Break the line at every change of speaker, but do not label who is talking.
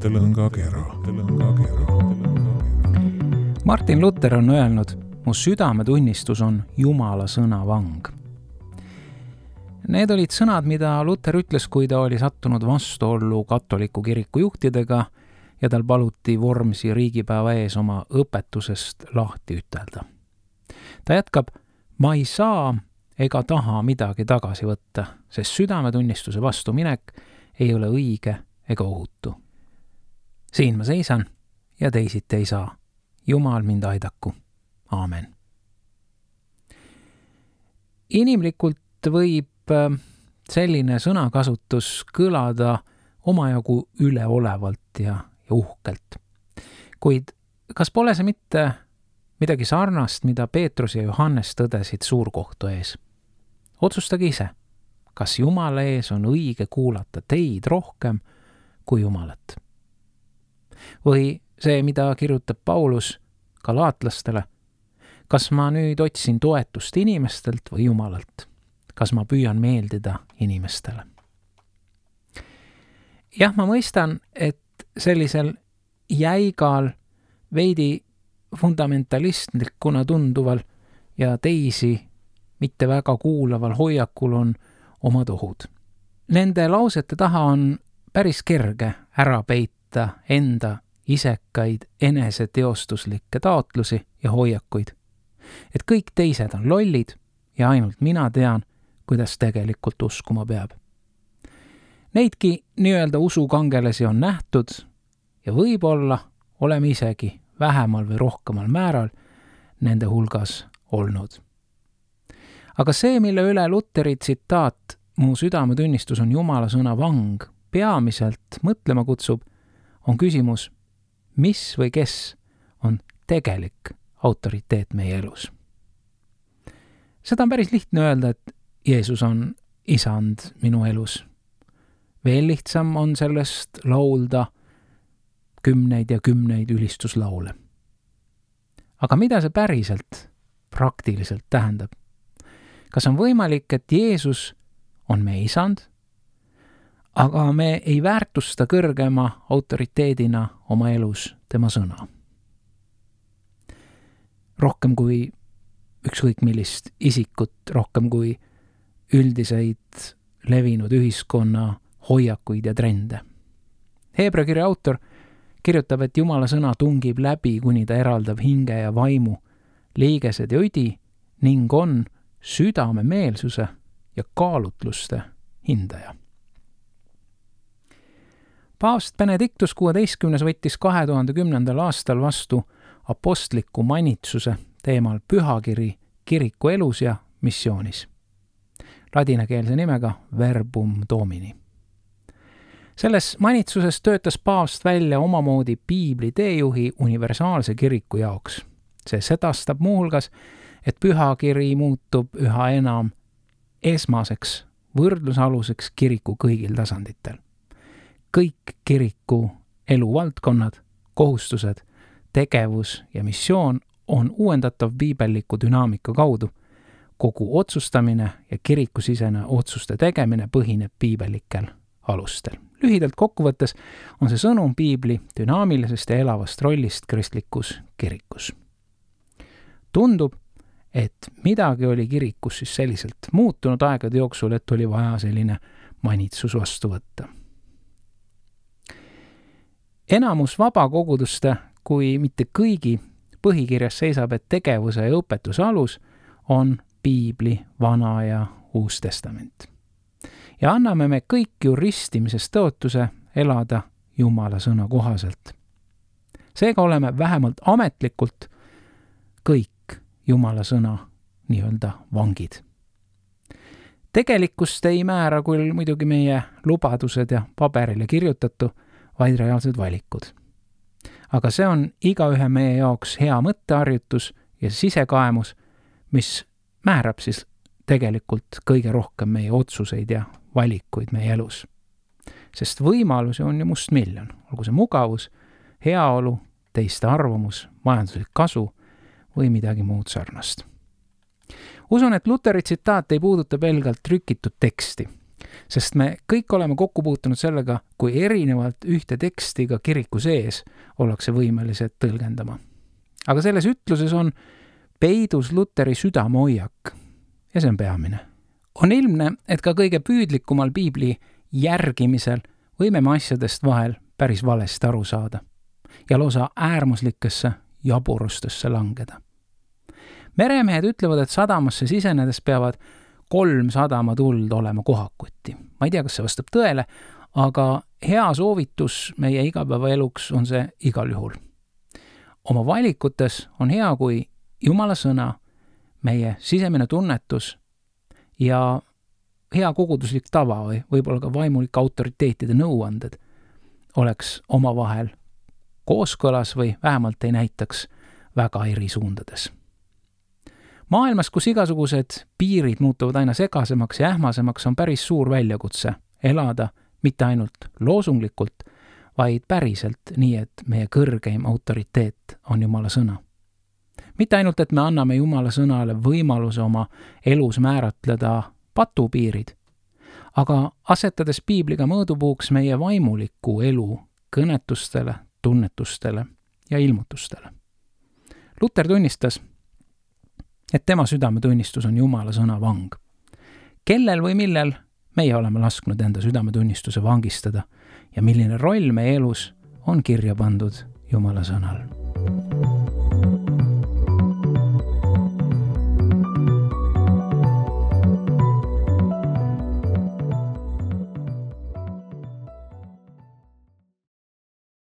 mõttelõngakera.
Martin Luther on öelnud, mu südametunnistus on Jumala sõna vang. Need olid sõnad, mida Luther ütles, kui ta oli sattunud vastuollu katoliku kiriku juhtidega ja tal paluti Vormsi riigipäeva ees oma õpetusest lahti ütelda. Ta jätkab, ma ei saa ega taha midagi tagasi võtta, sest südametunnistuse vastuminek ei ole õige ega ohutu. Siin ma seisan ja teisiti ei saa. Jumal mind aidaku. Aamen. Inimlikult võib selline sõnakasutus kõlada omajagu üleolevalt ja uhkelt. Kuid kas pole see mitte midagi sarnast, mida Peetrus ja Johannes tõdesid suurkohtu ees? Otsustage ise, kas Jumala ees on õige kuulata teid rohkem kui Jumalat. Või see, mida kirjutab Paulus galaatlastele, kas ma nüüd otsin toetust inimestelt või Jumalalt? Kas ma püüan meeldida inimestele? Jah, ma mõistan, et sellisel jäigal, veidi fundamentalistlikuna tunduval ja teisi mitte väga kuulaval hoiakul on omad ohud. Nende lausete taha on päris kerge ära peita enda isekaid eneseteostuslikke taotlusi ja hoiakuid. Et kõik teised on lollid ja ainult mina tean, kuidas tegelikult uskuma peab. Neidki nii-öelda usukangelasi on nähtud ja võib-olla oleme isegi vähemal või rohkemal määral nende hulgas olnud. Aga see, mille üle Lutheri tsitaat mu südametunnistus on Jumala sõna vang peamiselt mõtlema kutsub, on küsimus, mis või kes on tegelik autoriteet meie elus. Seda on päris lihtne öelda, et Jeesus on isand minu elus. Veel lihtsam on sellest laulda kümneid ja kümneid ülistuslaule. Aga mida see päriselt, praktiliselt tähendab? Kas on võimalik, et Jeesus on meie isand, aga me ei väärtusta kõrgema autoriteedina oma elus tema sõna? Rohkem kui ükskõik millist isikut, rohkem kui üldiseid levinud ühiskonna hoiakuid ja trende. Heebra kirja autor kirjutab, et Jumala sõna tungib läbi, kuni ta eraldab hinge ja vaimu, liigesed ja üdi ning on südame meelsuse ja kaalutluste hindaja. Paavst Benedictus 16. võttis 2010. aastal vastu apostliku manitsuse teemal pühakiri kiriku elus ja missioonis. Ladinakeelse nimega Verbum Domini. Selles manitsuses töötas paavst välja omamoodi piibli teejuhi universaalse kiriku jaoks. See sedastab muuhulgas, et pühakiri muutub üha enam esmaseks võrdlusaluseks kiriku kõigil tasanditel. Kõik kiriku eluvaldkonnad, kohustused, tegevus ja missioon on uuendatav piibelliku dünaamika kaudu. Kogu otsustamine ja kirikusisene otsuste tegemine põhineb piibellikel alustel. Lühidalt kokkuvõttes on see sõnum piibli dünaamilisest ja elavast rollist kristlikus kirikus. Tundub, et midagi oli kirikus siis selliselt muutunud aegade jooksul, et oli vaja selline manitsus vastu võtta. Enamus vabakoguduste, kui mitte kõigi, põhikirjas seisab, et tegevuse ja õpetuse alus on piibli Vana ja Uus Testament. Ja anname me kõik ju ristimisest tõotuse elada Jumala sõna kohaselt. Seega oleme vähemalt ametlikult kõik Jumala sõna nii-öelda vangid. Tegelikkust ei määra küll muidugi meie lubadused ja paberile kirjutatu, vaid reaalsed valikud. Aga see on igaühe meie jaoks hea mõtteharjutus ja sisekaemus, mis määrab siis tegelikult kõige rohkem meie otsuseid ja valikuid meie elus. Sest võimalusi on ju mustmiljon, olgu see mugavus, heaolu, teiste arvamus, majanduslik kasu või midagi muud sarnast. Usun, et Lutheri tsitaat ei puuduta pelgalt trükitud teksti, Sest me kõik oleme kokku puutunud sellega, kui erinevalt ühte teksti ka kiriku sees ollakse võimelised tõlgendama. Aga selles ütluses on peidus Luteri südamehoiak ja see on peamine. On ilmne, et ka kõige püüdlikumal piibli järgimisel võime me asjadest vahel päris valesti aru saada ja lausa äärmuslikesse jaburustesse langeda. Meremehed ütlevad, et sadamasse sisenedes peavad 3 sadamatuld olema kohakuti. Ma ei tea, kas see vastab tõele, aga hea soovitus meie igapäevaeluks on see igal juhul. Oma valikutes on hea, kui Jumala sõna, meie sisemine tunnetus ja hea koguduslik tava või võib-olla ka vaimulike autoriteetide nõuanded oleks omavahel kooskõlas või vähemalt ei näitaks väga eri suundades. Maailmas, kus igasugused piirid muutuvad aina segasemaks ja ähmasemaks, on päris suur väljakutse elada mitte ainult loosunglikult, vaid päriselt nii, et meie kõrgeim autoriteet on Jumala sõna. Mitte ainult, et me anname Jumala sõnale võimaluse oma elus määratleda patupiirid, aga asetades piibliga mõõdupuuks meie vaimuliku elu kõnetustele, tunnetustele ja ilmutustele. Luter tunnistas, et tema südametunnistus on Jumala sõna vang. Kellel või millel meie oleme lasknud enda südametunnistuse vangistada ja milline roll meie elus on kirja pandud Jumala sõnal.